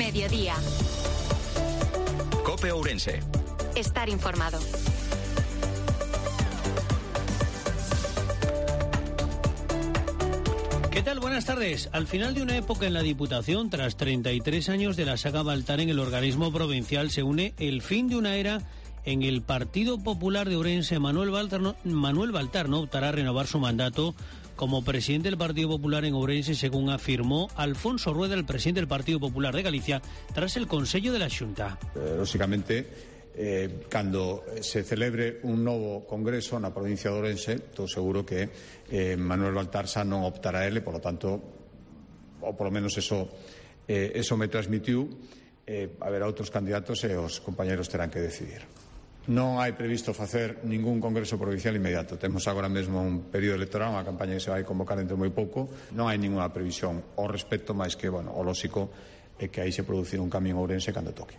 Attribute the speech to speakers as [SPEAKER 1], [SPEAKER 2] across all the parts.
[SPEAKER 1] mediodía.
[SPEAKER 2] COPE Ourense.
[SPEAKER 1] Estar informado.
[SPEAKER 3] ¿Qué tal? Buenas tardes. Al final de una época en la Diputación, tras 33 años de la saga Baltar en el organismo provincial, se une el fin de una era en el Partido Popular de Ourense. Manuel Baltar no optará a renovar su mandato como presidente del Partido Popular en Ourense, según afirmó Alfonso Rueda, el presidente del Partido Popular de Galicia, tras el Consello de la Xunta.
[SPEAKER 4] Lógicamente, cando se celebre un novo congreso na provincia de Ourense, estou seguro que Manuel Baltar xa non optará ele, por lo tanto, ou polo menos eso me transmitiu, haberá outros candidatos e os compañeros terán que decidir. Non hai previsto facer ningún congreso provincial inmediato. Temos agora mesmo un período electoral, unha campaña que se vai convocar dentro moi pouco. Non hai ninguna previsión ao respecto, máis que, o lóxico é que aí se producirá un cambio en Ourense cando toque.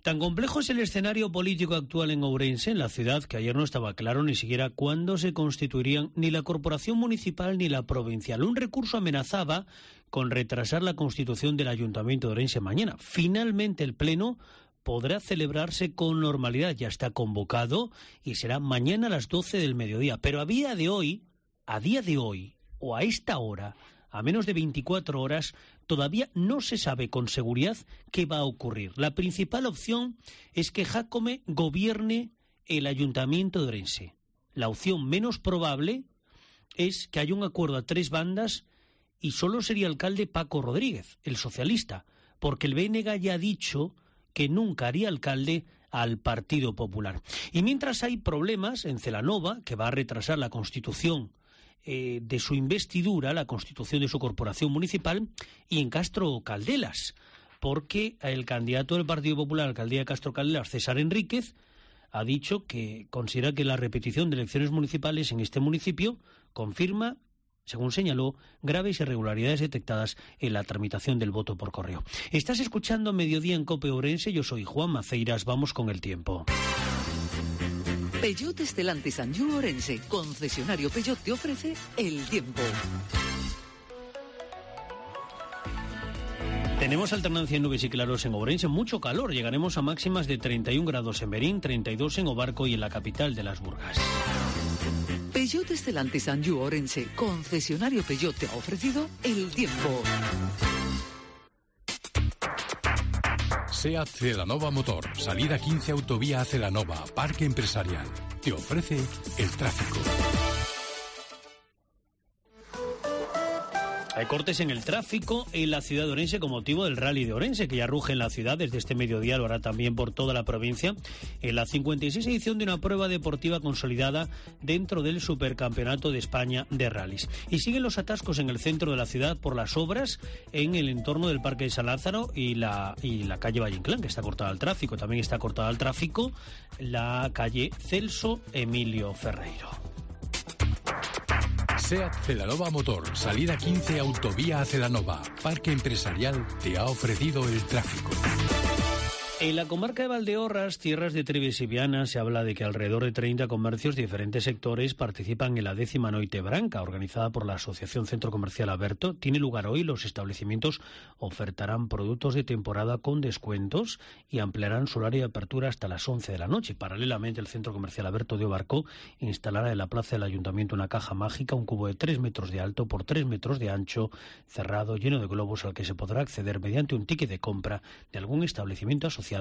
[SPEAKER 3] Tan complejo es el escenario político actual en Ourense, en la ciudad, que ayer no estaba claro ni siquiera cuándo se constituirían ni la corporación municipal ni la provincial. Un recurso amenazaba con retrasar la constitución del Ayuntamiento de Ourense mañana. Finalmente el Pleno podrá celebrarse con normalidad, ya está convocado y será mañana a las 12 del mediodía. Pero a día de hoy, o a esta hora, a menos de 24 horas, todavía no se sabe con seguridad qué va a ocurrir. La principal opción es que Jácome gobierne el Ayuntamiento de Ourense. La opción menos probable es que haya un acuerdo a tres bandas y solo sería alcalde Paco Rodríguez, el socialista, porque el BNG ya ha dicho que nunca haría alcalde al Partido Popular. Y mientras hay problemas en Celanova, que va a retrasar la constitución de su investidura, la constitución de su corporación municipal, y en Castro Caldelas, porque el candidato del Partido Popular a la alcaldía de Castro Caldelas, César Enríquez, ha dicho que considera que la repetición de elecciones municipales en este municipio confirma, según señaló, graves irregularidades detectadas en la tramitación del voto por correo. Estás escuchando Mediodía en COPE Ourense, yo soy Juan Maceiras, vamos con el tiempo.
[SPEAKER 5] Peugeot Stellantis Anjou Ourense, concesionario Peugeot, te ofrece el tiempo.
[SPEAKER 3] Tenemos alternancia en nubes y claros en Ourense, mucho calor, llegaremos a máximas de 31 grados en Berín, 32 en Obarco y en la capital de las Burgas.
[SPEAKER 5] Peugeot Stellantis Anjou Ourense, concesionario Peugeot, te ha ofrecido el tiempo.
[SPEAKER 6] SEAT Celanova Motor, salida 15 autovía a Celanova, Parque Empresarial. Te ofrece el tráfico.
[SPEAKER 3] Hay cortes en el tráfico en la ciudad de Ourense con motivo del Rally de Ourense, que ya ruge en la ciudad desde este mediodía, lo hará también por toda la provincia, en la 56 edición de una prueba deportiva consolidada dentro del Supercampeonato de España de Rallys. Y siguen los atascos en el centro de la ciudad por las obras en el entorno del Parque de San Lázaro y la calle Valle Inclán, que está cortada al tráfico. También está cortada al tráfico la calle Celso Emilio Ferreiro.
[SPEAKER 6] SEAT Celanova Motor, salida 15 autovía a Celanova, Parque Empresarial, te ha ofrecido el tráfico.
[SPEAKER 3] En la comarca de Valdeorras, tierras de Trives y Viana, se habla de que alrededor de 30 comercios de diferentes sectores participan en la 10ª Noite Branca, organizada por la Asociación Centro Comercial Aberto. Tiene lugar hoy, los establecimientos ofertarán productos de temporada con descuentos y ampliarán su horario de apertura hasta las 11 de la noche. Paralelamente, el Centro Comercial Aberto de Obarco instalará en la plaza del Ayuntamiento una caja mágica, un cubo de 3 metros de alto por 3 metros de ancho, cerrado, lleno de globos, al que se podrá acceder mediante un ticket de compra de algún establecimiento asociado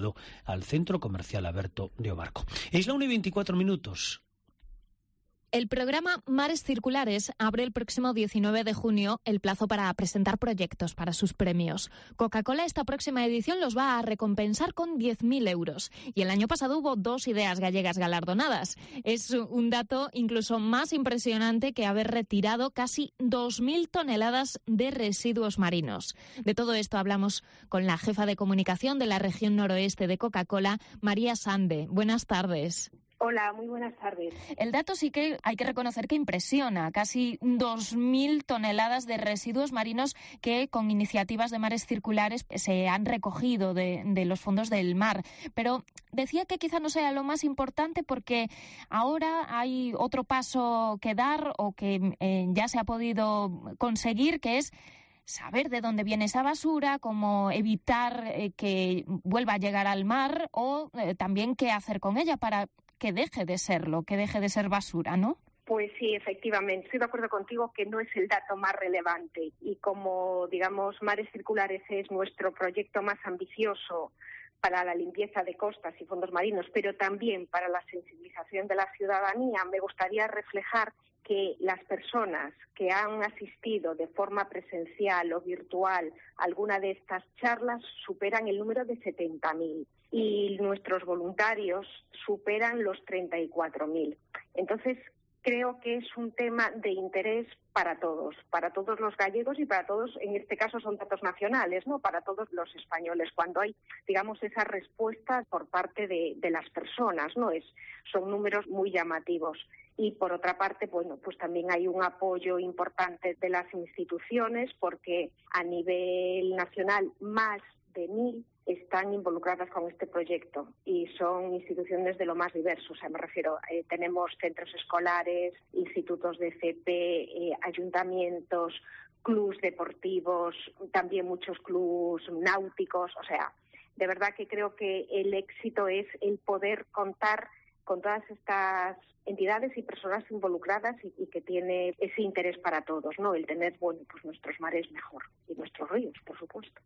[SPEAKER 3] al Centro Comercial Aberto de Obarco. Es la 1:24.
[SPEAKER 7] El programa Mares Circulares abre el próximo 19 de junio el plazo para presentar proyectos para sus premios. Coca-Cola esta próxima edición los va a recompensar con 10.000 euros. Y el año pasado hubo 2 ideas gallegas galardonadas. Es un dato incluso más impresionante que haber retirado casi 2.000 toneladas de residuos marinos. De todo esto hablamos con la jefa de comunicación de la región noroeste de Coca-Cola, María Sande. Buenas tardes.
[SPEAKER 8] Hola, muy buenas tardes.
[SPEAKER 7] El dato sí que hay que reconocer que impresiona. Casi 2.000 toneladas de residuos marinos que con iniciativas de Mares Circulares se han recogido de los fondos del mar. Pero decía que quizá no sea lo más importante porque ahora hay otro paso que dar o que ya se ha podido conseguir, que es saber de dónde viene esa basura, cómo evitar que vuelva a llegar al mar o también qué hacer con ella para que deje de serlo, que deje de ser basura, ¿no?
[SPEAKER 8] Pues sí, efectivamente. Estoy de acuerdo contigo que no es el dato más relevante y como, digamos, Mares Circulares es nuestro proyecto más ambicioso para la limpieza de costas y fondos marinos, pero también para la sensibilización de la ciudadanía, me gustaría reflejar que las personas que han asistido de forma presencial o virtual a alguna de estas charlas superan el número de 70.000 y nuestros voluntarios superan los 34.000. Entonces, creo que es un tema de interés para todos los gallegos y para todos, en este caso son datos nacionales, ¿no? Para todos los españoles, cuando hay, digamos, esa respuesta por parte de las personas, ¿no? Son números muy llamativos. Y por otra parte, bueno, pues también hay un apoyo importante de las instituciones porque a nivel nacional más de 1.000 están involucradas con este proyecto y son instituciones de lo más diverso. O sea, me refiero, tenemos centros escolares, institutos de CP, ayuntamientos, clubs deportivos, también muchos clubs náuticos. O sea, de verdad que creo que el éxito es el poder contar con todas estas entidades y personas involucradas y que tiene ese interés para todos, ¿no? El tener, bueno, pues nuestros mares mejor y nuestros ríos, por supuesto.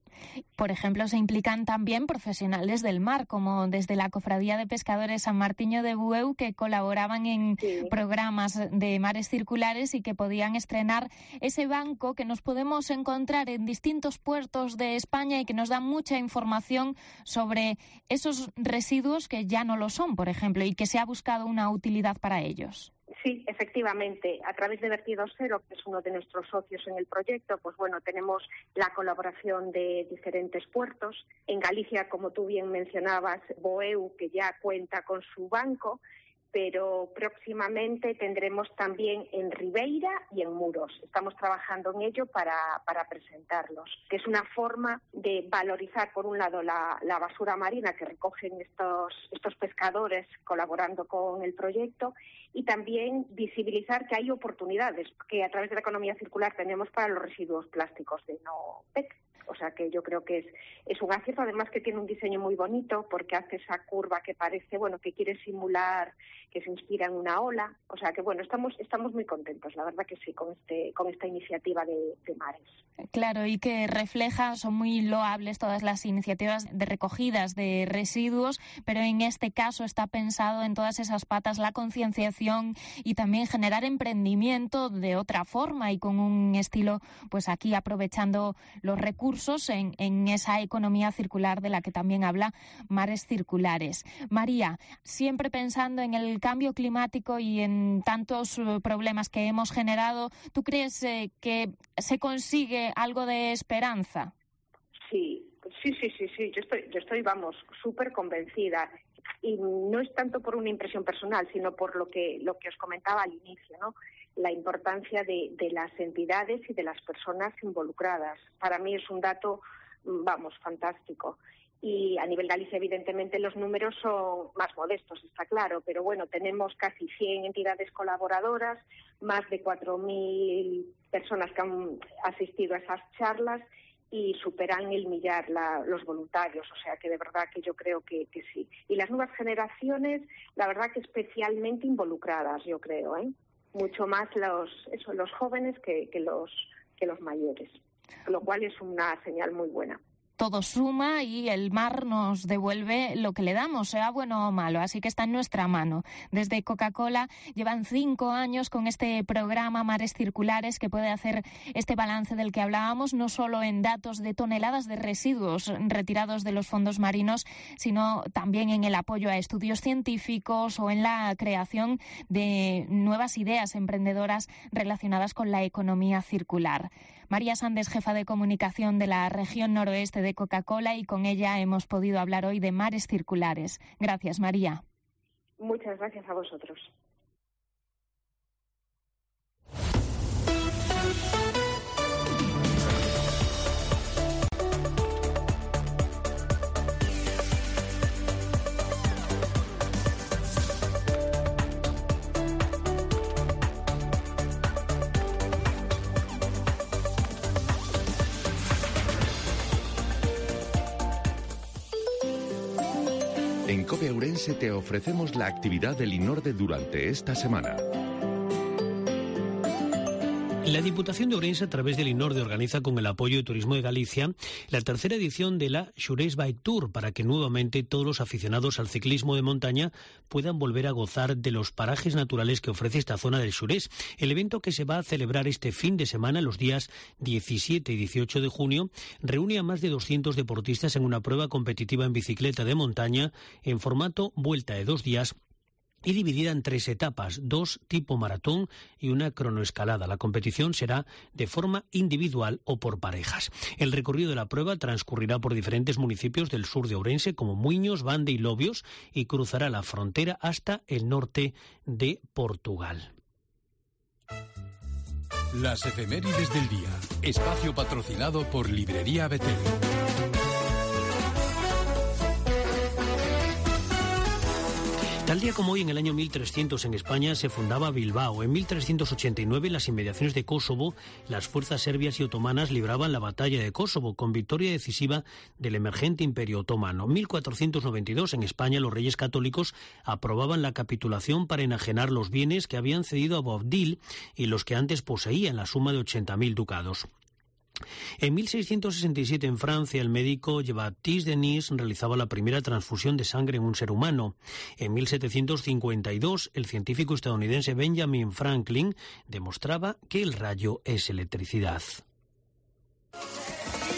[SPEAKER 7] Por ejemplo, se implican también profesionales del mar, como desde la Cofradía de Pescadores San Martiño de Bueu, que colaboraban en programas de Mares Circulares y que podían estrenar ese banco que nos podemos encontrar en distintos puertos de España y que nos da mucha información sobre esos residuos que ya no lo son, por ejemplo, y que se ha buscado una utilidad para ellos.
[SPEAKER 8] Sí, efectivamente. A través de Vertidos Cero, que es uno de nuestros socios en el proyecto, pues bueno, tenemos la colaboración de diferentes puertos. En Galicia, como tú bien mencionabas, Bueu, que ya cuenta con su banco, pero próximamente tendremos también en Ribeira y en Muros. Estamos trabajando en ello para presentarlos, que es una forma de valorizar, por un lado, la basura marina que recogen estos pescadores colaborando con el proyecto y también visibilizar que hay oportunidades que a través de la economía circular tenemos para los residuos plásticos de no PET. O sea que yo creo que es un acierto, además que tiene un diseño muy bonito porque hace esa curva que parece, bueno, que quiere simular, que se inspira en una ola. O sea que, bueno, estamos muy contentos, la verdad que sí, con esta iniciativa de Mares.
[SPEAKER 7] Claro, y que refleja, son muy loables todas las iniciativas de recogidas de residuos, pero en este caso está pensado en todas esas patas, la concienciación y también generar emprendimiento de otra forma y con un estilo, pues aquí aprovechando los recursos en esa economía circular de la que también habla Mares Circulares. María, siempre pensando en el cambio climático y en tantos problemas que hemos generado, ¿tú crees que se consigue algo de esperanza?
[SPEAKER 8] Sí. Yo estoy, vamos, súper convencida. Y no es tanto por una impresión personal, sino por lo que os comentaba al inicio, ¿no? La importancia de las entidades y de las personas involucradas. Para mí es un dato, vamos, fantástico. Y a nivel Galicia, evidentemente, los números son más modestos, está claro, pero bueno, tenemos casi 100 entidades colaboradoras, más de 4.000 personas que han asistido a esas charlas y superan el 1.000.000 los voluntarios, o sea que de verdad que yo creo que sí. Y las nuevas generaciones, la verdad que especialmente involucradas, yo creo, mucho más los jóvenes que los mayores, lo cual es una señal muy buena.
[SPEAKER 7] Todo suma y el mar nos devuelve lo que le damos, sea bueno o malo, así que está en nuestra mano. Desde Coca-Cola llevan 5 años con este programa Mares Circulares que puede hacer este balance del que hablábamos, no solo en datos de toneladas de residuos retirados de los fondos marinos, sino también en el apoyo a estudios científicos o en la creación de nuevas ideas emprendedoras relacionadas con la economía circular. María Sandes, jefa de comunicación de la región noroeste de Coca-Cola, y con ella hemos podido hablar hoy de Mares Circulares. Gracias, María.
[SPEAKER 8] Muchas gracias a vosotros.
[SPEAKER 1] En COPE Ourense te ofrecemos la actividad del INORDE durante esta semana.
[SPEAKER 3] La Diputación de Ourense, a través del INORDE, organiza con el apoyo de Turismo de Galicia la tercera edición de la Xurés Bike Tour, para que nuevamente todos los aficionados al ciclismo de montaña puedan volver a gozar de los parajes naturales que ofrece esta zona del Xurés. El evento, que se va a celebrar este fin de semana, los días 17 y 18 de junio, reúne a más de 200 deportistas en una prueba competitiva en bicicleta de montaña en formato vuelta de 2 días, y dividida en 3 etapas, 2 tipo maratón y una cronoescalada. La competición será de forma individual o por parejas. El recorrido de la prueba transcurrirá por diferentes municipios del sur de Ourense, como Muiños, Bande y Lobios, y cruzará la frontera hasta el norte de Portugal.
[SPEAKER 6] Las efemérides del día. Espacio patrocinado por Librería Betel.
[SPEAKER 3] Tal día como hoy, en el año 1300, en España se fundaba Bilbao. En 1389, en las inmediaciones de Kosovo, las fuerzas serbias y otomanas libraban la batalla de Kosovo, con victoria decisiva del emergente Imperio Otomano. En 1492, en España, los reyes católicos aprobaban la capitulación para enajenar los bienes que habían cedido a Boabdil y los que antes poseía, en la suma de 80.000 ducados. En 1667, en Francia, el médico Jean-Baptiste Denis realizaba la primera transfusión de sangre en un ser humano. En 1752, el científico estadounidense Benjamin Franklin demostraba que el rayo es electricidad.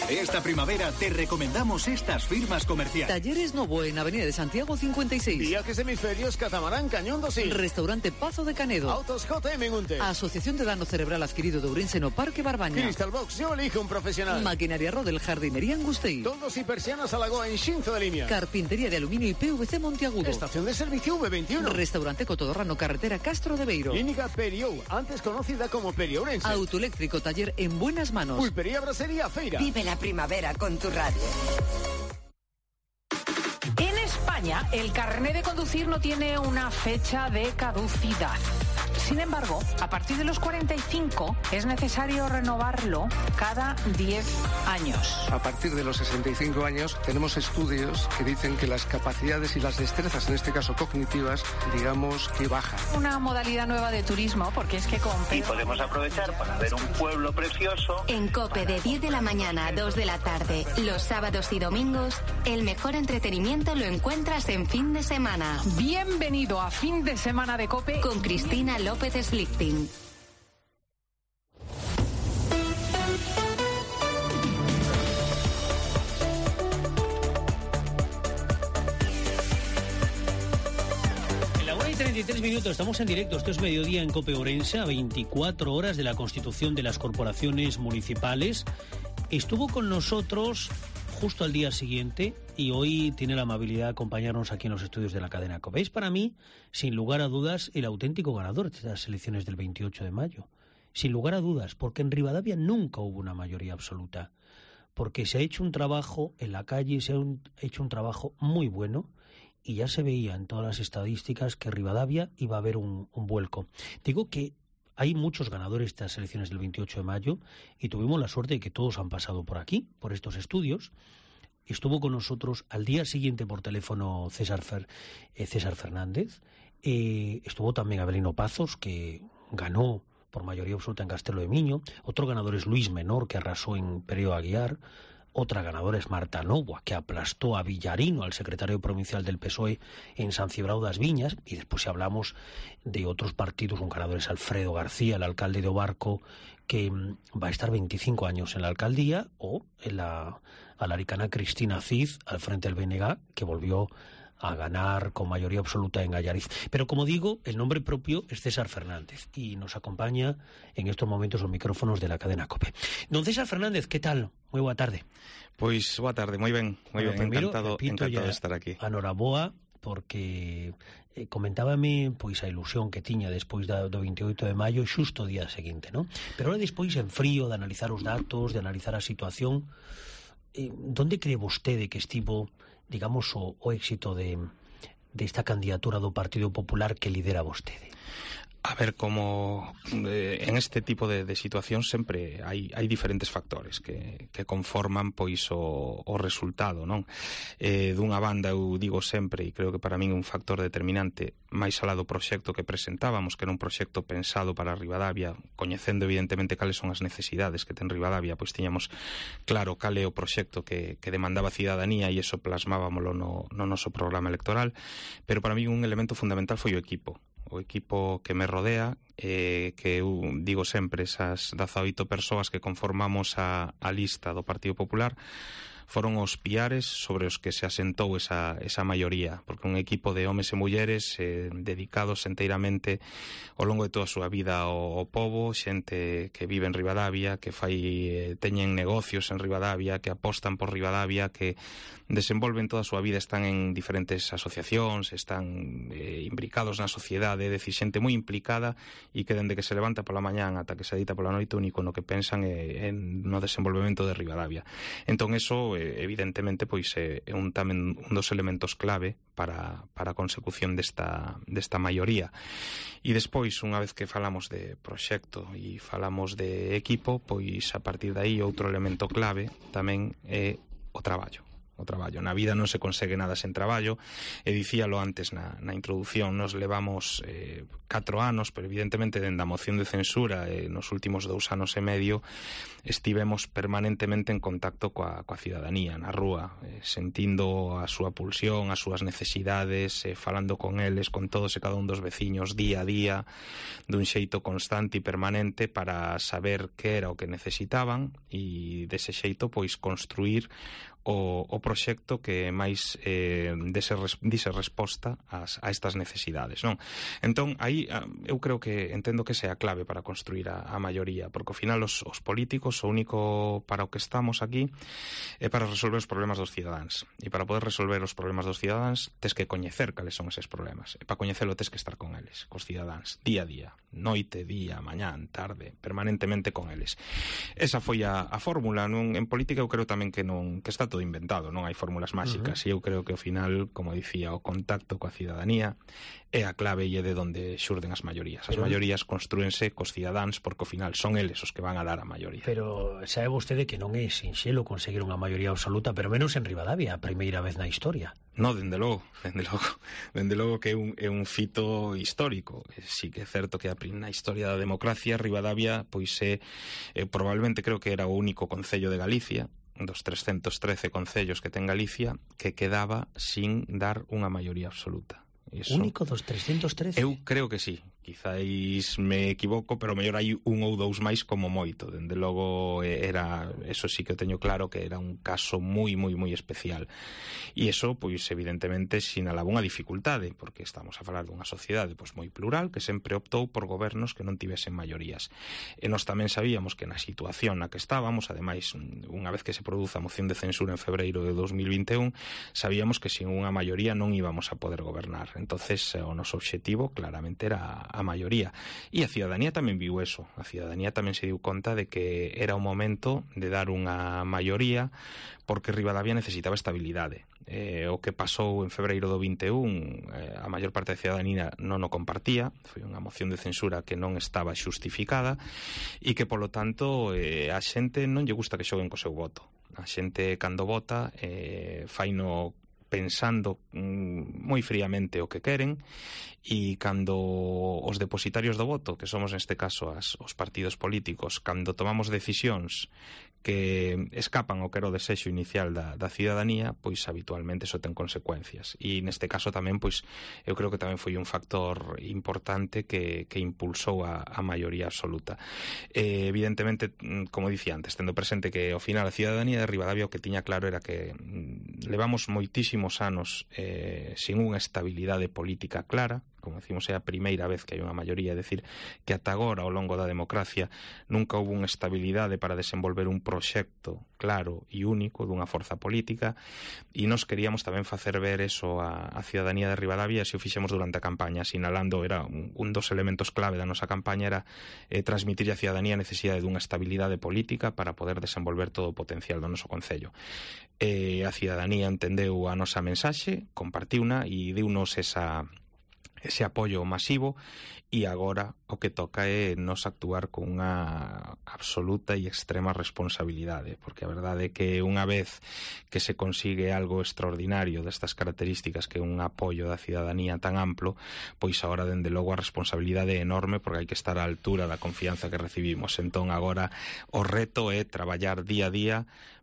[SPEAKER 2] Esta primavera te recomendamos estas firmas comerciales.
[SPEAKER 5] Talleres Novo en Avenida de Santiago 56.
[SPEAKER 9] Viajes Hemisferios Catamarán Cañón Dosín.
[SPEAKER 5] Restaurante Pazo de Canedo.
[SPEAKER 9] Autos JM Gunte.
[SPEAKER 5] Asociación de Dano Cerebral Adquirido de Ourense no Parque Barbaña.
[SPEAKER 9] Crystal Box, yo elijo un profesional.
[SPEAKER 5] Maquinaria Rodel, Jardinería Angustei.
[SPEAKER 9] Toldos y persianas a Lagoa en Xinzo de Limia.
[SPEAKER 5] Carpintería de Aluminio y PVC Monteagudo.
[SPEAKER 9] Estación de servicio V21.
[SPEAKER 5] Restaurante Cotodorrano, Carretera Castro de Beiro.
[SPEAKER 9] Clínica Periou, antes conocida como Periourense.
[SPEAKER 5] Autoeléctrico, taller en buenas manos.
[SPEAKER 9] Pulpería Brasería Feira.
[SPEAKER 10] Vive la primavera con tu radio.
[SPEAKER 11] En España, el carné de conducir no tiene una fecha de caducidad. Sin embargo, a partir de los 45 es necesario renovarlo cada 10 años.
[SPEAKER 12] A partir de los 65 años tenemos estudios que dicen que las capacidades y las destrezas, en este caso cognitivas, digamos que bajan.
[SPEAKER 11] Una modalidad nueva de turismo, porque es que
[SPEAKER 13] y podemos aprovechar para ver un pueblo precioso.
[SPEAKER 14] En COPE, de 10 de la mañana a 2 de la tarde, los sábados y domingos, el mejor entretenimiento lo encuentras en fin de semana.
[SPEAKER 11] Bienvenido a Fin de Semana de COPE
[SPEAKER 14] con Cristina López Slichting.
[SPEAKER 3] En la 1:33, estamos en directo. Esto es Mediodía en COPE Ourense, a 24 horas de la constitución de las corporaciones municipales. Estuvo con nosotros justo al día siguiente y hoy tiene la amabilidad de acompañarnos aquí en los estudios de la cadena COPE. Es para mí, sin lugar a dudas, el auténtico ganador de estas elecciones del 28 de mayo. Sin lugar a dudas, porque en Rivadavia nunca hubo una mayoría absoluta. Porque se ha hecho un trabajo en la calle, se ha hecho un trabajo muy bueno y ya se veía en todas las estadísticas que Rivadavia iba a haber un vuelco. Digo que hay muchos ganadores de estas elecciones del 28 de mayo y tuvimos la suerte de que todos han pasado por aquí, por estos estudios. Estuvo con nosotros al día siguiente por teléfono César Fernández. Estuvo también Abelino Pazos, que ganó por mayoría absoluta en Castelo de Miño. Otro ganador es Luis Menor, que arrasó en Pereo Aguiar. Otra ganadora es Marta Novoa, que aplastó a Villarino, al secretario provincial del PSOE, en San Cibrao das Viñas. Y después, si hablamos de otros partidos, un ganador es Alfredo García, el alcalde de Obarco, que va a estar 25 años en la alcaldía, o en la alaricana Cristina Cid, al frente del BNG, que volvió a ganar con mayoría absoluta en Allariz. Pero como digo, el nombre propio es César Fernández y nos acompaña en estos momentos los micrófonos de la cadena COPE. Don César Fernández, ¿qué tal? Muy boa tarde.
[SPEAKER 15] Pois boa tarde, moi ben, encantado de estar aquí.
[SPEAKER 3] Anoraboa, porque comentábame pois a ilusión que tiña despois do 28 de maio, xusto o día seguinte, non? Pero ahora despois, en frío, de analizar os datos, de analizar a situación, donde cree vostede que estivo, digamos, o éxito de esta candidatura do Partido Popular que lidera vostede?
[SPEAKER 15] A ver, como en este tipo de situacións sempre hai diferentes factores que conforman pois o resultado, non? Dunha banda, eu digo sempre, e creo que para min é un factor determinante, máis alá do proxecto que presentábamos, que era un proxecto pensado para Ribadavia, coñecendo evidentemente cales son as necesidades que ten Ribadavia, pois tiñamos claro cal é o proxecto que demandaba a cidadanía e iso plasmábamolo no noso programa electoral, pero para min un elemento fundamental foi o equipo que me rodea, que eu digo sempre, esas 18 persoas que conformamos a lista do Partido Popular foron os piares sobre os que se asentou esa maioría, porque un equipo de homes e mulleres dedicados enteiramente ao longo de toda a súa vida ao pobo, xente que vive en Ribadavia, que teñen negocios en Ribadavia, que apostan por Ribadavia, que desenvolven toda a súa vida, están en diferentes asociacións, están imbricados na sociedade, é dicir, xente moi implicada e que dende que se levanta pola mañán ata que se deita pola noite, único no que pensan é no desenvolvemento de Ribadavia. Entón, eso evidentemente pois é un dos elementos clave para a consecución desta maioría. E despois, unha vez que falamos de proxecto e falamos de equipo, pois a partir de aí outro elemento clave tamén é o traballo. Na vida non se consegue nada sen traballo, e dicíalo antes na introducción, nos levamos 4 anos, pero evidentemente dende a moción de censura nos últimos 2 anos e medio estivemos permanentemente en contacto coa cidadanía na rúa, sentindo a súa pulsión, as súas necesidades, falando con eles, con todos e cada un dos veciños día a día, dun xeito constante e permanente para saber que era o que necesitaban e dese xeito pois construir o proxecto que máis dise resposta a estas necesidades, non? Entón, aí eu creo que entendo que sea a clave para construir a maioría, porque ao final os políticos o único para o que estamos aquí é para resolver os problemas dos cidadáns, e para poder resolver os problemas dos cidadáns tes que coñecer cales son eses problemas, e para coñecelo tes que estar con eles, cos cidadáns, día a día, noite, día, mañán, tarde, permanentemente con eles. Esa foi a fórmula, non? En política eu creo tamén que está todo inventado, non hai fórmulas máxicas, e eu creo que ao final, como dicía, o contacto coa cidadanía é a clave e é de onde xurden as maiorías. As maiorías construense cos cidadáns porque ao final son eles os que van a dar a maioría.
[SPEAKER 3] Pero sabe vostede que non é sinxelo conseguir unha maioría absoluta, pero menos en Ribadavia, a primeira vez na historia.
[SPEAKER 15] No, dende logo que é un fito histórico. Sí que é certo que na historia da democracia Ribadavia pois é probablemente creo que era o único concello de Galicia dos 313 concellos que ten Galicia que quedaba sin dar unha maioría absoluta.
[SPEAKER 3] Único dos 313?
[SPEAKER 15] Eu creo que sí. Quizáis me equivoco, pero mellor hai un ou dous máis como moito. Dende logo eso sí que teño claro que era un caso moi especial. E eso, pois evidentemente sinalaba unha dificultade, porque estamos a falar dunha sociedade pois moi plural que sempre optou por gobernos que non tivesen maiorías. E nós tamén sabíamos que na situación na que estábamos, ademais, unha vez que se produza a moción de censura en febreiro de 2021, sabíamos que sin unha maioría non íbamos a poder gobernar. Entonces, o noso obxectivo claramente era a maioría. E a cidadanía tamén viu eso. A cidadanía tamén se diu conta de que era o momento de dar unha maioría porque Ribadavia necesitaba estabilidade. O que pasou en febreiro do 21, a maior parte da cidadanía non o compartía, foi unha moción de censura que non estaba xustificada e que, polo tanto, a xente non lle gusta que xoguen co seu voto. A xente, cando vota, faino pensando moi fríamente o que queren, e cando os depositarios do voto, que somos neste caso os partidos políticos, cando tomamos decisións que escapan ao que era o desexo inicial da cidadanía, pois habitualmente iso ten consecuencias. E neste caso tamén, pois, eu creo que tamén foi un factor importante que impulsou a maioría absoluta. Evidentemente, como dicía antes, tendo presente que ao final a cidadanía de Ribadavia o que tiña claro era que levamos moitísimos anos sin unha estabilidade política clara. Como decimos, é a primeira vez que hai unha maioría, é dicir, que ata agora, ao longo da democracia, nunca houve unha estabilidade para desenvolver un proxecto claro e único dunha forza política, e nós queríamos tamén facer ver eso a cidadanía de Ribadavia, e se o fixemos durante a campaña, sinalando, era un dos elementos clave da nosa campaña, era transmitir a cidadanía a necesidade dunha estabilidade política para poder desenvolver todo o potencial do noso concello. A cidadanía entendeu a nosa mensaxe, compartiuna e deunos ese apoio masivo, e agora o que toca é nos actuar con unha absoluta e extrema responsabilidade, porque a verdade é que unha vez que se consigue algo extraordinario destas características, que é un apoio da cidadanía tan amplo, pois agora dende logo a responsabilidade é enorme, porque hai que estar á altura da confianza que recibimos. Entón agora o reto é traballar día a día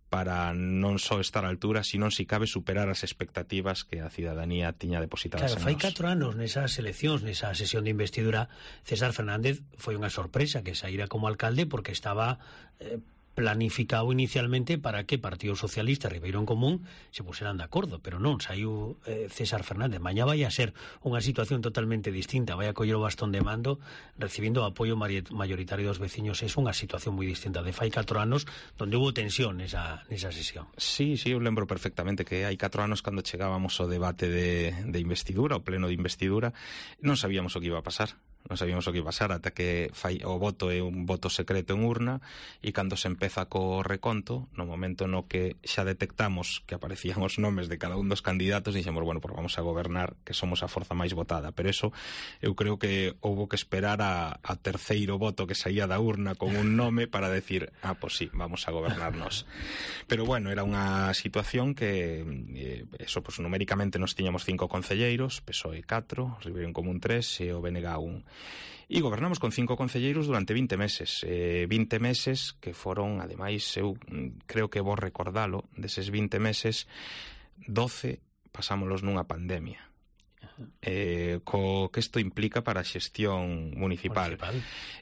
[SPEAKER 15] para non só estar á altura, sino, si cabe, superar as expectativas que a cidadanía tiña depositadas en
[SPEAKER 3] nós. Claro, fai 4 anos nesas eleccións, nesa sesión de investidura, César Fernández foi unha sorpresa que saíra como alcalde, porque estaba planificado inicialmente para que Partido Socialista e Ribeiro en Común se puseran de acordo, pero non, saiu César Fernández. Mañá vai a ser unha situación totalmente distinta, vai a coller o bastón de mando recibindo o apoio mayoritario dos veciños. É unha situación moi distinta de fai 4 anos, onde hubo tensión nesa sesión.
[SPEAKER 15] Sí, eu lembro perfectamente que hai 4 anos, cando chegábamos ao debate de investidura, ao pleno de investidura, non sabíamos o que iba a pasar. Non sabíamos o que iba a pasar ata que o voto é un voto secreto en urna, e cando se empeza co reconto, no momento no que xa detectamos que aparecían os nomes de cada un dos candidatos, dixemos, bueno, pues vamos a gobernar, que somos a forza máis votada. Pero eso, eu creo que houbo que esperar a terceiro voto que saía da urna con un nome para decir, pues sí, vamos a gobernarnos. Pero bueno, era unha situación que eso, pues numéricamente nos tiñamos 5 concelleiros, PSOE 4, Ribeiro en Común 3 e o BNG 1. E gobernamos con 5 concelleiros durante 20 meses. 20 meses que foron, ademais, eu creo que vou recordalo, deses 20 meses, 12 pasámolos nunha pandemia. Co que isto implica para a xestión municipal.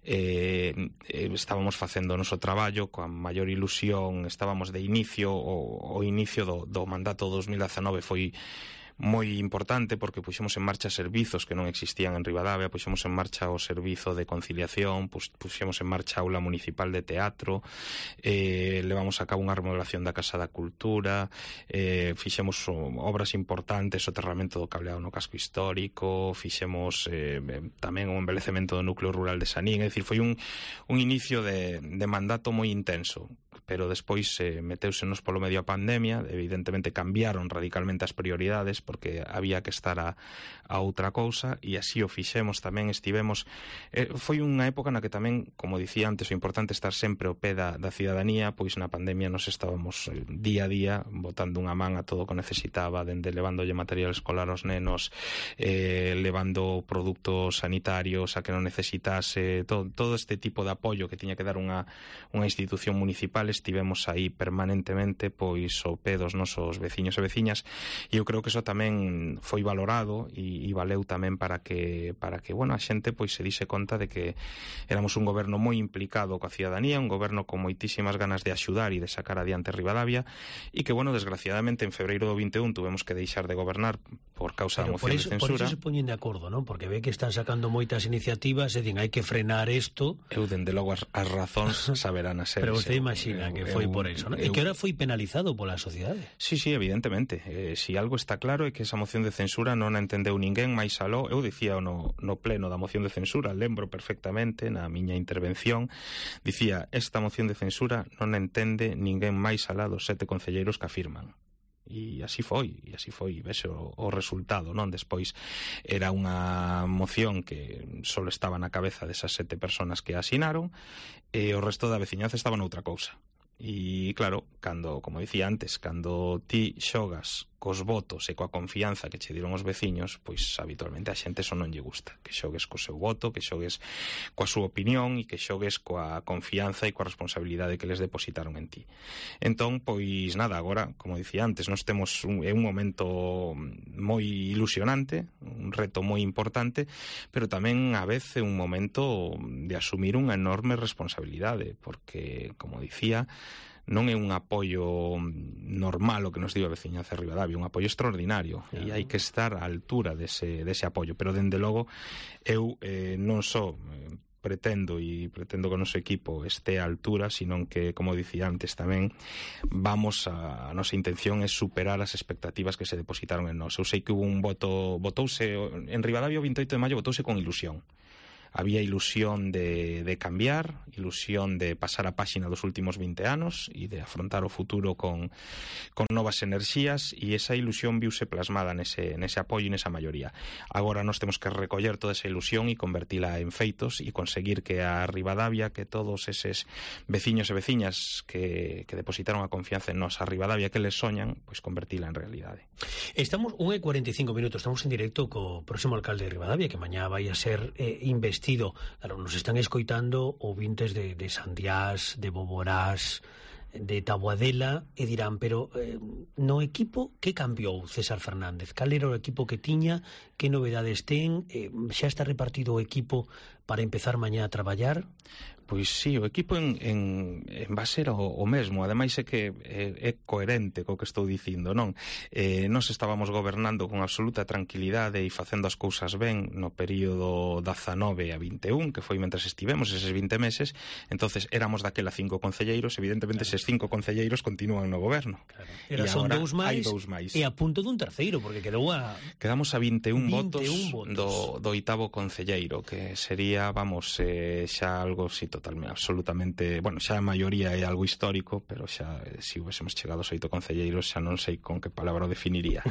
[SPEAKER 15] Estábamos facendo o noso traballo coa maior ilusión, estábamos de inicio, o inicio do mandato 2019 foi moi importante, porque puxemos en marcha servizos que non existían en Ribadavia, puxemos en marcha o servizo de conciliación, puxemos en marcha a aula municipal de teatro, levamos a cabo unha remodelación da Casa da Cultura, fixemos obras importantes, o soterramento do cableado no casco histórico, fixemos tamén o embelecemento do núcleo rural de Sanín. É dicir, foi un inicio de mandato moi intenso, pero despois meteusenos polo medio a pandemia. Evidentemente cambiaron radicalmente as prioridades, porque había que estar a outra cousa, e así o fixemos tamén. Estivemos, foi unha época na que tamén, como dicía antes, o importante estar sempre ao pé da cidadanía, pois na pandemia nos estábamos día a día botando unha man a todo o que necesitaba, dende levándolle material escolar aos nenos, levando produtos sanitarios a que non necesitase, todo este tipo de apoio que tiña que dar unha institución municipal. Estivemos aí permanentemente, pois ao pé dos nosos veciños e veciñas, e eu creo que iso tamén foi valorado e valeu tamén para que bueno, a xente pois se dise conta de que éramos un goberno moi implicado coa cidadanía, un goberno con moitísimas ganas de axudar e de sacar adiante Ribadavia, e que, bueno, desgraciadamente en febreiro do 21 tuvemos que deixar de gobernar por causa da moción de censura.
[SPEAKER 3] Por iso se poñen de acordo, non? Porque ve que están sacando moitas iniciativas e din, hai que frenar isto.
[SPEAKER 15] Eu, dende logo, as razóns saberán a ser.
[SPEAKER 3] Pero você imagina que foi por iso, non? E que ahora foi penalizado pola sociedade.
[SPEAKER 15] Sí, evidentemente. Si algo está claro é que esa moción de censura non a entendeu ninguén máis aló. Eu dicía no pleno da moción de censura, lembro perfectamente na miña intervención, dicía, esta moción de censura non a entende ninguén máis alá dos 7 concelleiros que afirman. E así foi, vese o resultado, non? Despois era unha moción que só estaba na cabeza desas 7 personas que asinaron, e o resto da veciñanza estaba noutra cousa. E claro, como dicía antes, cando ti xogas cos votos e coa confianza que che dieron os veciños, pois habitualmente a xente eso non lle gusta, que xogues co seu voto, que xogues coa súa opinión e que xogues coa confianza e coa responsabilidade que les depositaron en ti. Entón, pois nada, agora, como dicía antes, nós temos un momento moi ilusionante, un reto moi importante, pero tamén a veces un momento de asumir unha enorme responsabilidade, porque, como dicía, non é un apoio normal o que nos dio a veciñanza de Ribadavia, un apoio extraordinario, e hai que estar á altura dese apoio. Pero, dende logo, eu non só pretendo que o noso equipo este á altura, sino que, como dicía antes tamén, a nosa intención é superar as expectativas que se depositaron en nós. Eu sei que hubo un votouse en Ribadavia o 28 de maio, votouse con ilusión. había ilusión de cambiar, ilusión de pasar a páxina dos últimos 20 anos e de afrontar o futuro con novas enerxías, e esa ilusión viuse plasmada nese apoio e nesa maioría. Agora nós temos que recoller toda esa ilusión e convertila en feitos e conseguir que a Ribadavia, que todos eses veciños e veciñas que depositaron a confianza en nós, a Ribadavia que les soñan, pois convertila en realidade.
[SPEAKER 3] Estamos 1:45 minutos, estamos en directo co próximo alcalde de Ribadavia, que mañá vai a ser investido. Claro, nos están escoitando ouvintes de Sandiás, de Boborás, de Taboadela, e dirán, pero no equipo que cambiou César Fernández? Cal era o equipo que tiña? Que novedades ten? Xa está repartido o equipo para empezar mañá a traballar?
[SPEAKER 15] Pois sí, o equipo en base era o mesmo. Ademais é que é coherente co que estou dicindo, non? Nós estábamos gobernando con absoluta tranquilidade e facendo as cousas ben no período 19 a 21, que foi mentres estivemos eses 20 meses. Entonces éramos daquela 5 concelleiros, evidentemente eses 5 concelleiros continúan no goberno.
[SPEAKER 3] Claro. Era son dous máis e a punto dun terceiro, porque
[SPEAKER 15] quedamos a 21 votos do oitavo concelleiro, que sería, vamos, xa algo totalmente, absolutamente, bueno, xa a maioría é algo histórico, pero xa se hubiésemos chegado aos 8 concelleiros xa non sei con que palabra o definiría.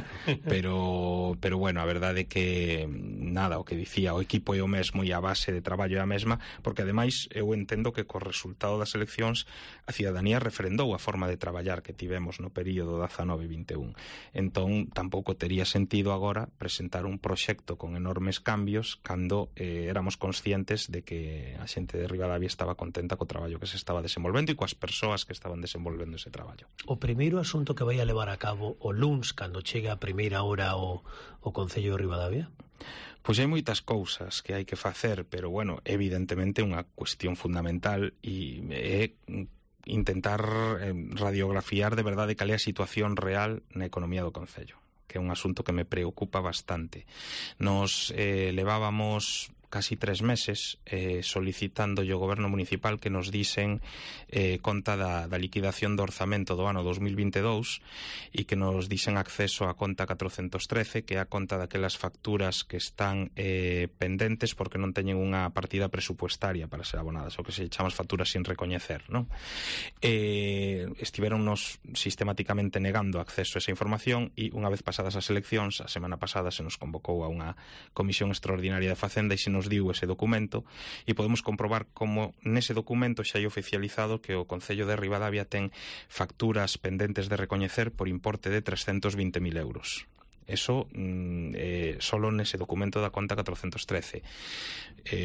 [SPEAKER 15] pero bueno, a verdade é que nada, o que dicía, o equipo é o mesmo e a base de traballo é a mesma, porque ademais eu entendo que co resultado das eleccións a cidadanía referendou a forma de traballar que tivemos no período 19-21. Entón tampouco tería sentido agora presentar un proxecto con enormes cambios cando éramos conscientes de que a xente de Ribadavia estaba contenta co traballo que se estaba desenvolvendo e coas persoas que estaban desenvolvendo ese traballo.
[SPEAKER 3] O primeiro asunto que vai a levar a cabo o luns, cando chega a primeira hora o Concello de Ribadavia?
[SPEAKER 15] Pois hai moitas cousas que hai que facer, pero, bueno, evidentemente unha cuestión fundamental é intentar radiografiar de verdade cal é a situación real na economía do Concello, que é un asunto que me preocupa bastante. Nos levábamos casi 3 meses solicitando ao goberno municipal que nos disen conta da liquidación do orzamento do ano 2022 e que nos disen acceso á conta 413, que é a conta daquelas facturas que están pendentes porque non teñen unha partida presupuestaria para ser abonadas, o que se chamas facturas sin recoñecer, non? Estiveronnos sistemáticamente negando acceso a esa información e unha vez pasadas as eleccións, a semana pasada se nos convocou a unha comisión extraordinaria de Facenda e se nos diu ese documento e podemos comprobar como nese documento xa hai oficializado que o Concello de Ribadavia ten facturas pendentes de recoñecer por importe de 320.000 euros. Eso solo nese documento da conta 413.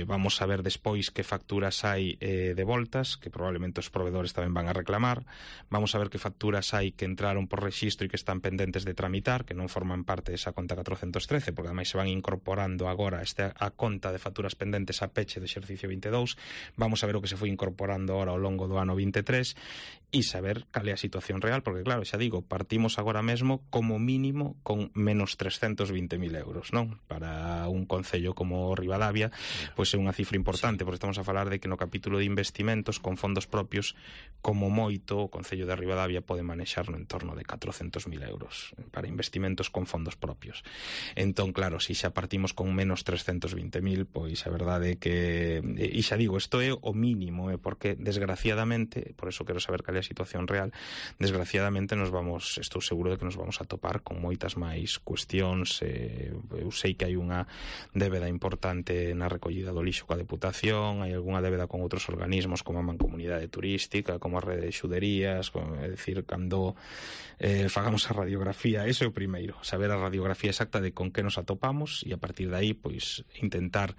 [SPEAKER 15] Vamos a ver despois que facturas hai devoltas, que probablemente os provedores tamén van a reclamar. Vamos a ver que facturas hai que entraron por rexistro e que están pendentes de tramitar, que non forman parte desa conta 413, porque ademais se van incorporando agora a conta de facturas pendentes a peche do exercicio 22. Vamos a ver o que se foi incorporando agora ao longo do ano 23 e saber cal é a situación real, porque claro, xa digo, partimos agora mesmo como mínimo con menos 320.000 euros, non? Para un concello como Ribadavia, pois é unha cifra importante, porque estamos a falar de que no capítulo de investimentos con fondos propios, como moito, o Concello de Ribadavia pode manexar no entorno de 400.000 euros para investimentos con fondos propios. Entón, claro, se xa partimos con menos 320.000, pois a verdade é que, e xa digo, isto é o mínimo, porque desgraciadamente, por eso quero saber cal é a situación real, desgraciadamente estou seguro de que nos vamos a topar con moitas máis cuestións. Eu sei que hai unha débeda importante na recollida do lixo coa Deputación, hai algunha débeda con outros organismos como a Mancomunidade Turística, como a Rede de Xuderías, é dicir, cando fagamos a radiografía, eso é o primeiro, saber a radiografía exacta de con que nos atopamos e a partir de aí, pois, intentar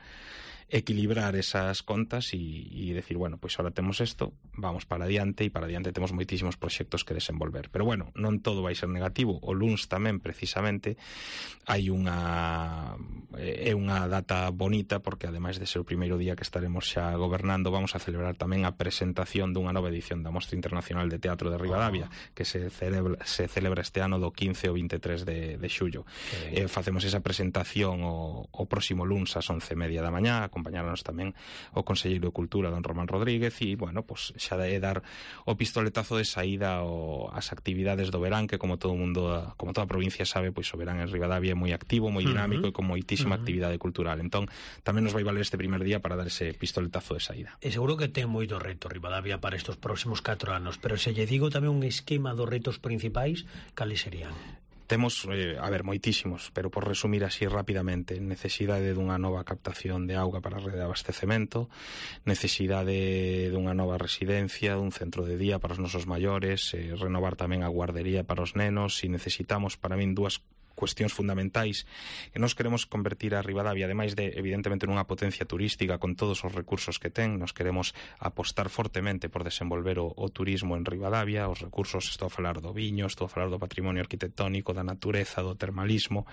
[SPEAKER 15] equilibrar esas contas e decir, bueno, pois ahora temos isto, vamos para adiante e para adiante temos moitísimos proxectos que desenvolver. Pero bueno, non todo vai ser negativo. O luns tamén, precisamente, hai unha data bonita porque ademais de ser o primeiro día que estaremos xa gobernando, vamos a celebrar tamén a presentación dunha nova edición da Mostra Internacional de Teatro de Ribadavia, que se celebra este ano do 15 ao 23 de xullo. Facemos esa presentación o próximo luns ás 11:30 da mañá, acompañáranos tamén o conselleiro de Cultura, don Román Rodríguez, e, bueno, pues xa é dar o pistoletazo de saída ás actividades do verán, que como todo mundo, como toda a provincia sabe, pois o verán en Ribadavia é moi activo, moi dinámico e con moitísima actividade cultural. Entón, tamén nos vai valer este primer día para dar ese pistoletazo de saída.
[SPEAKER 3] E seguro que ten moito reto Ribadavia para estes próximos 4 anos, pero se lle digo tamén un esquema dos retos principais, cales serían?
[SPEAKER 15] Temos, moitísimos, pero por resumir así rapidamente, necesidade dunha nova captación de auga para a rede de abastecemento, necesidade dunha nova residencia, dun centro de día para os nosos maiores, renovar tamén a guardería para os nenos, e necesitamos, para min, dúas cuestións fundamentais que nos queremos convertir a Ribadavia, ademais de, evidentemente, nunha potencia turística con todos os recursos que ten. Nos queremos apostar fortemente por desenvolver o turismo en Ribadavia, os recursos, estou a falar do viño, estou a falar do patrimonio arquitectónico, da natureza, do termalismo.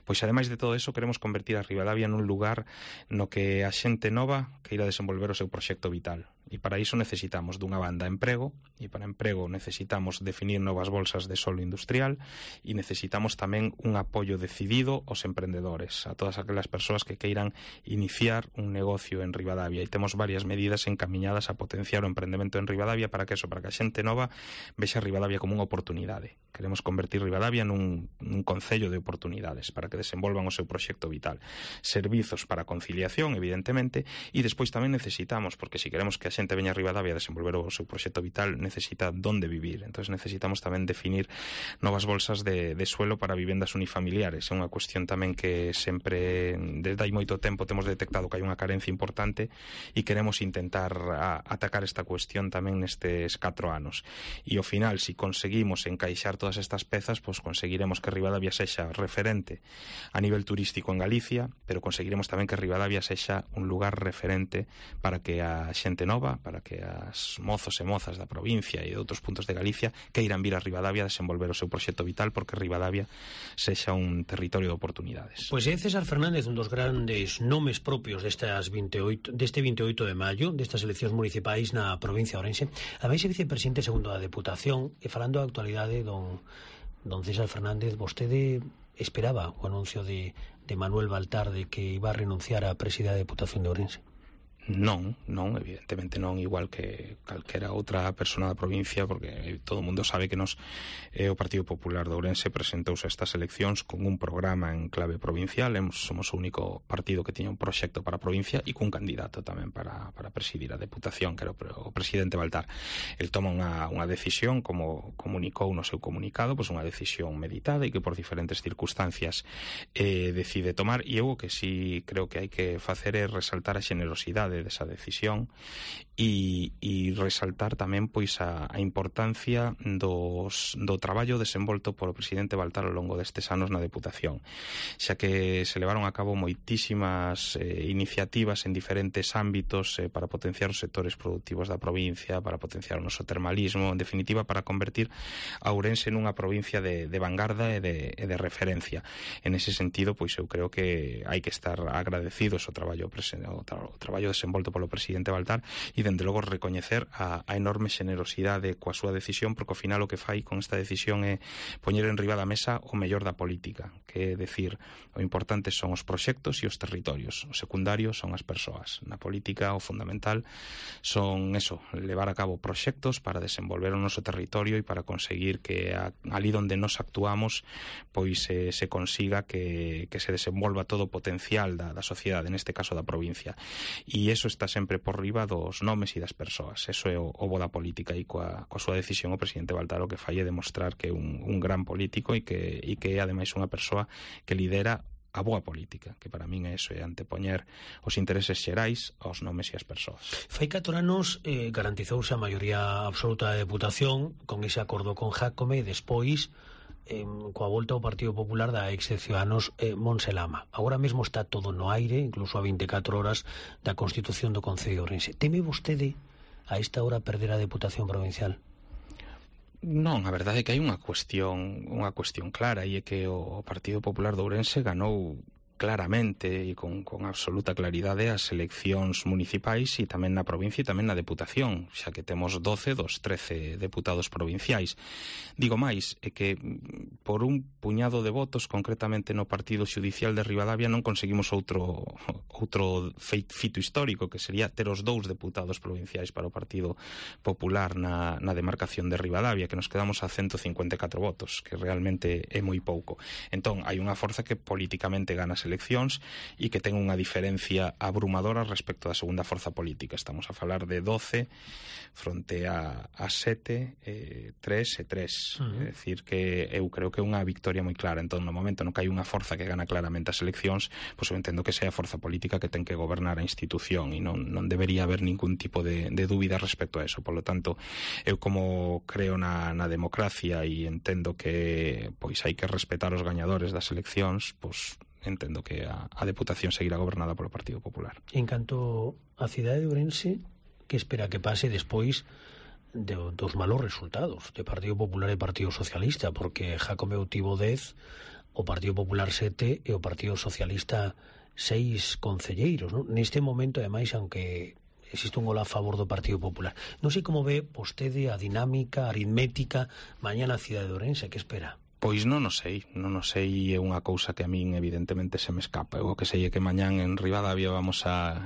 [SPEAKER 15] Pois, ademais de todo eso, queremos convertir a Ribadavia nun lugar no que a xente nova queira desenvolver o seu proxecto vital. E para iso necesitamos, dunha banda, emprego, e para emprego necesitamos definir novas bolsas de solo industrial, e necesitamos tamén un apoio decidido aos emprendedores, a todas aquelas persoas que queiran iniciar un negocio en Ribadavia, e temos varias medidas encamiñadas a potenciar o emprendemento en Ribadavia para que a xente nova vexa Ribadavia como unha oportunidade. Queremos convertir Ribadavia nun concello de oportunidades para que desenvolvan o seu proxecto vital. Servizos para conciliación, evidentemente, e despois tamén necesitamos, porque se queremos que a xente veña a Ribadavia a desenvolver o seu proxecto vital, necesita donde vivir. Entón necesitamos tamén definir novas bolsas de suelo para vivendas unifamiliares. É unha cuestión tamén que sempre, desde hai moito tempo, temos detectado que hai unha carencia importante e queremos intentar atacar esta cuestión tamén nestes 4 anos. E ao final, se conseguimos encaixar todas estas pezas, pois conseguiremos que Ribadavia sexa referente a nivel turístico en Galicia, pero conseguiremos tamén que Ribadavia sexa un lugar referente para que a xente nova, para que as mozos e mozas da provincia e de outros puntos de Galicia queiran vir a Ribadavia a desenvolver o seu proxecto vital, porque Ribadavia sexa un territorio de oportunidades.
[SPEAKER 3] Pois é César Fernández, un dos grandes nomes propios deste 28 de maio, destas eleccións municipais na provincia de Ourense. Ademais, é vicepresidente segundo da Deputación, e falando da actualidade, don César Fernández, vostede esperaba o anuncio de Manuel Baltar de que iba a renunciar á presidencia da Deputación de Ourense?
[SPEAKER 15] Non, evidentemente non, igual que calquera outra persona da provincia, porque todo o mundo sabe que o Partido Popular de Ourense presentouse a estas eleccións con un programa en clave provincial. Somos o único partido que tiña un proxecto para a provincia e cun candidato tamén para presidir a Deputación, que era o presidente Baltar. El toma unha decisión, como comunicou no seu comunicado, pois unha decisión meditada e que por diferentes circunstancias decide tomar, e eu o que sí creo que hai que facer é resaltar a xenerosidade desa decisión e resaltar tamén pois a importancia do traballo desenvolto polo presidente Baltar ao longo destes anos na Deputación, xa que se levaron a cabo moitísimas iniciativas en diferentes ámbitos para potenciar os sectores productivos da provincia, para potenciar o noso termalismo, en definitiva para convertir a Ourense nunha provincia de vanguarda e de referencia. En ese sentido, pois eu creo que hai que estar agradecidos ao traballo desenvolto polo presidente Baltar e, dende logo, recoñecer a enorme xenerosidade coa súa decisión, porque ao final o que fai con esta decisión é poñer en riba da mesa o mellor da política, que é decir, o importante son os proxectos e os territorios, o secundario son as persoas. Na política o fundamental son levar a cabo proxectos para desenvolver o noso territorio e para conseguir que ali onde nos actuamos pois se consiga que se desenvolva todo o potencial da sociedade, neste caso da provincia. E iso está sempre por riba dos nomes e das persoas. Eso é o bo da política, e coa súa decisión o presidente Baltar o que fai é demostrar que é un gran político e que é ademais unha persoa que lidera a boa política, que para min é iso, é antepoñer os intereses xerais aos nomes e as persoas.
[SPEAKER 3] Fai 4 anos garantizouse a maioría absoluta da Deputación con ese acordo con Jácome, e despois coa volta ao Partido Popular da ex Ciudadanos Montse Lama. Agora mesmo está todo no aire, incluso a 24 horas da Constitución do Concello de Ourense. Teme vostede a esta hora perder a Deputación Provincial?
[SPEAKER 15] Non, a verdade é que hai unha cuestión clara, e é que o Partido Popular de Ourense ganou claramente e con absoluta claridade as eleccións municipais e tamén na provincia e tamén na deputación, xa que temos 12 dos 13 deputados provinciais. Digo máis, é que por un puñado de votos, concretamente no Partido Xudicial de Ribadavia, non conseguimos outro fito histórico, que sería ter os 2 deputados provinciais para o Partido Popular na demarcación de Ribadavia, que nos quedamos a 154 votos, que realmente é moi pouco. Entón, hai unha forza que políticamente gana as eleccións e que ten unha diferencia abrumadora respecto da segunda forza política. Estamos a falar de 12 fronte a 7, 3 e 3. É dicir, que eu creo que é unha victoria moi clara. Entón, no momento no que hai unha forza que gana claramente as eleccións, pois eu entendo que sea a forza política que ten que gobernar a institución e non debería haber ningún tipo de dúbida respecto a eso. Por lo tanto, eu como creo na democracia e entendo que pois hai que respetar os gañadores das eleccións, pois entendo que a Deputación seguirá gobernada polo Partido Popular.
[SPEAKER 3] En canto a cidade de Ourense, que espera que pase despois dos malos resultados de Partido Popular e Partido Socialista? Porque Jacome tivo 10, o Partido Popular 7 e o Partido Socialista 6 concelleiros, non? Neste momento, ademais, aunque existe un gol a favor do Partido Popular, non sei como ve vostede a dinámica aritmética mañá na cidade de Ourense. Que espera?
[SPEAKER 15] Pois non o sei, é unha cousa que a min evidentemente se me escapa. O que sei é que mañán en Ribadavia vamos a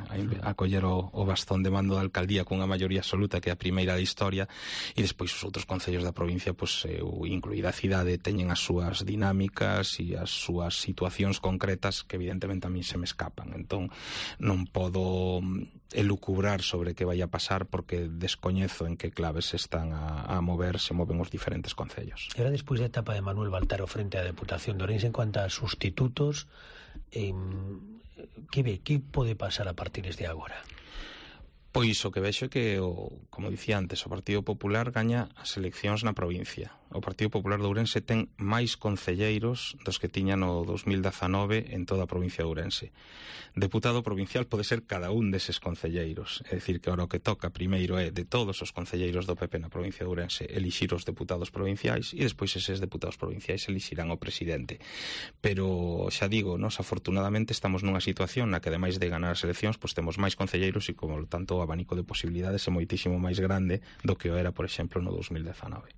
[SPEAKER 15] coller o bastón de mando da alcaldía cunha maioría absoluta, que é a primeira da historia, e despois os outros concellos da provincia, pois, incluída a cidade, teñen as súas dinámicas e as súas situacións concretas que evidentemente a min se me escapan. Entón non podo elucubrar sobre que vai a pasar porque descoñezo en que claves se están a mover, se moven os diferentes concellos.
[SPEAKER 3] Era despois da etapa de Manuel Baltaro frente á Deputación de Ourense en cuanto a sustitutos, que pode pasar a partir de agora?
[SPEAKER 15] Pois o que vexo é que, como dicía antes, o Partido Popular gaña as eleccións na provincia. O Partido Popular de Ourense ten máis concelleiros dos que tiña no 2019 en toda a provincia de Ourense. Deputado provincial pode ser cada un deses concelleiros. É dicir, que ahora o que toca primeiro é de todos os concelleiros do PP na provincia de Ourense elixir os deputados provinciais e despois eses deputados provinciais elixirán o presidente. Pero, xa digo, nós afortunadamente estamos nunha situación na que, ademais de ganar as eleccións, pois temos máis concelleiros e, como tanto, o abanico de posibilidades é moitísimo máis grande do que o era, por exemplo, no 2019.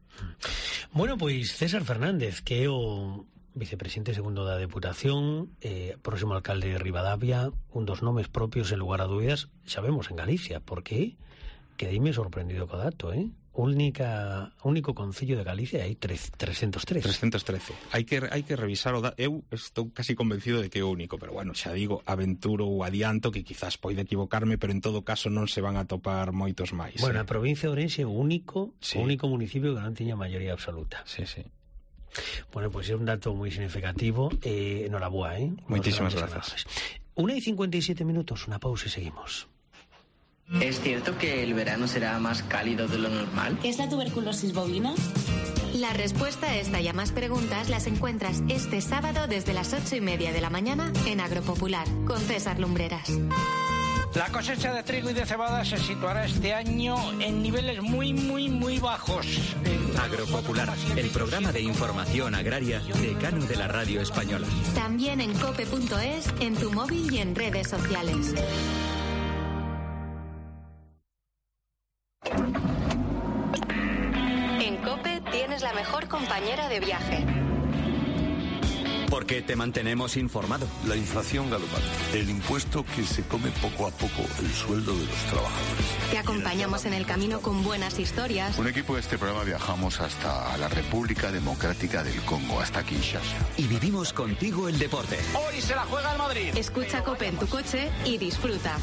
[SPEAKER 3] Bueno, pois César Fernández, que é o vicepresidente segundo da Deputación, próximo alcalde de Ribadavia, un dos nomes propios en lugar a dúbidas, xa vemos en Galicia, porque quedeime sorprendido co dato, único concello de Galicia hai 313.
[SPEAKER 15] 313. Hai que revisar o dato. Eu estou casi convencido de que é o único, pero bueno, xa digo, aventuro ou adianto que quizás poida equivocarme, pero en todo caso non se van a topar moitos máis.
[SPEAKER 3] Bueno, a provincia de Ourense é o único municipio que non tiña maioría absoluta.
[SPEAKER 15] Sí, sí.
[SPEAKER 3] Bueno, pois é un dato moi significativo. Enhoraboa,
[SPEAKER 15] Moitísimas grazas.
[SPEAKER 3] 1:57 minutos, unha pausa e seguimos.
[SPEAKER 16] ¿Es cierto que el verano será más cálido de lo normal?
[SPEAKER 17] ¿Qué es la tuberculosis bovina?
[SPEAKER 14] La respuesta a esta y a más preguntas las encuentras este sábado desde las 8:30 de la mañana en Agropopular, con César Lumbreras.
[SPEAKER 18] La cosecha de trigo y de cebada se situará este año en niveles muy bajos.
[SPEAKER 19] Agropopular, el programa de información agraria decano de la radio española.
[SPEAKER 14] También en cope.es, en tu móvil y en redes sociales. En COPE tienes la mejor compañera de viaje.
[SPEAKER 19] Porque te mantenemos informado.
[SPEAKER 20] La inflación galopante, el impuesto que se come poco a poco el sueldo de los trabajadores.
[SPEAKER 14] Te acompañamos en el camino con buenas historias.
[SPEAKER 21] Un equipo de este programa viajamos hasta la República Democrática del Congo, hasta Kinshasa.
[SPEAKER 19] Y vivimos contigo el deporte.
[SPEAKER 18] Hoy se la juega el Madrid.
[SPEAKER 14] Escucha COPE en tu coche y disfruta.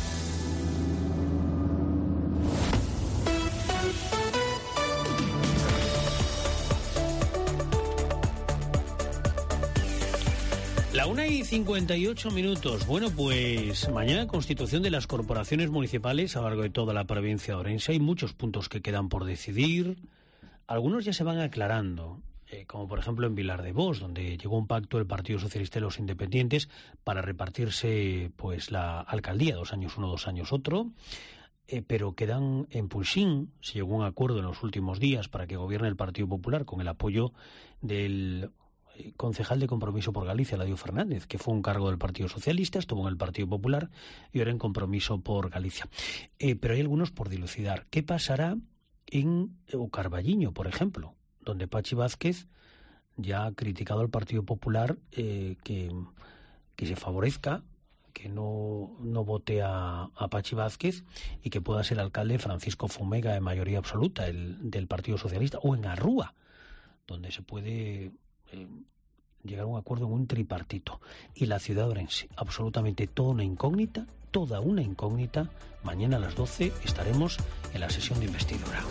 [SPEAKER 3] La 1:58 minutos. Bueno, pues mañana constitución de las corporaciones municipales a lo largo de toda la provincia de Ourense. Hay muchos puntos que quedan por decidir. Algunos ya se van aclarando, como por ejemplo en Vilar de Bos, donde llegó un pacto el Partido Socialista y los Independientes para repartirse pues la alcaldía, 2 años uno, 2 años otro. Pero quedan en Pulsín, se llegó a un acuerdo en los últimos días para que gobierne el Partido Popular con el apoyo del concejal de Compromiso por Galicia, Eladio Fernández, que fue un cargo del Partido Socialista, estuvo en el Partido Popular y ahora en Compromiso por Galicia. Pero hay algunos por dilucidar. ¿Qué pasará en o Carballiño, por ejemplo, donde Pachi Vázquez ya ha criticado al Partido Popular que se favorezca, que no vote a Pachi Vázquez y que pueda ser alcalde Francisco Fumega de mayoría absoluta del Partido Socialista, o en Arrúa, donde se puede llegar a un acuerdo en un tripartito. Y la ciudad de Ourense, absolutamente toda una incógnita. Mañana a las 12 estaremos en la sesión de investidura.